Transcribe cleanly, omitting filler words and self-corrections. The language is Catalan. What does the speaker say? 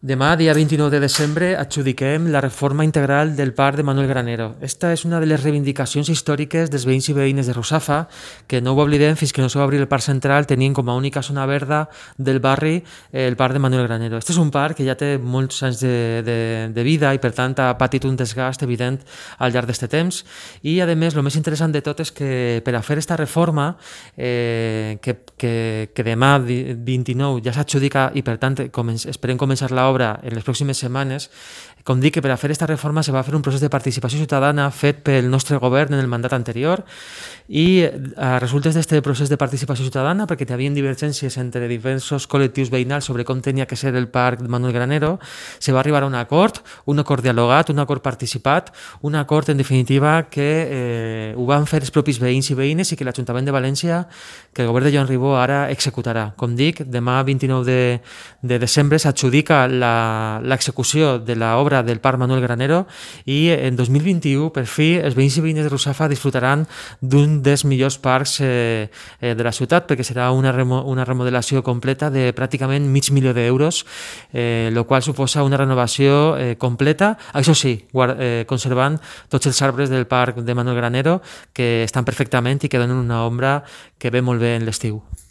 Demà, dia 29 de desembre, adjudiquem la reforma integral del Parc de Manuel Granero. Esta és una de les reivindicacions històriques dels veïns i veïnes de Russafa, que no ho oblidem, fins que no se va obrir el Parc Central tenien com a única zona verda del barri el Parc de Manuel Granero. Este és un parc que ja té molts anys de vida i per tant ha patit un desgast evident al llarg d'aquest temps i a més el més interessant de tot és que per a fer esta reforma que demà 29 ja s'adjudica i per tant esperem començar l'obra en les pròximes setmanes. Com dic, que per a fer aquesta reforma se va fer un procés de participació ciutadana fet pel nostre govern en el mandat anterior i a resultes d'aquest procés de participació ciutadana, perquè hi havia divergències entre diversos col·lectius veïnals sobre com tenia que ser el Parc Manuel Granero, se va arribar a un acord dialogat, un acord participat, un acord en definitiva que ho van fer els propis veïns i veïnes i que l'Ajuntament de València, que el govern de Joan Ribó ara executarà. Com dic, demà 29 de desembre s'adjudica l'execució de l'obra del Parc Manuel Granero i en 2021, per fi, els veïns i veïnes de Russafa disfrutaran d'un dels millors parcs de la ciutat, perquè serà una remodelació completa de pràcticament $500.000, el qual suposa una renovació completa, això sí, conservant tots els arbres del Parc de Manuel Granero que estan perfectament i que donen una ombra que ve molt bé en l'estiu.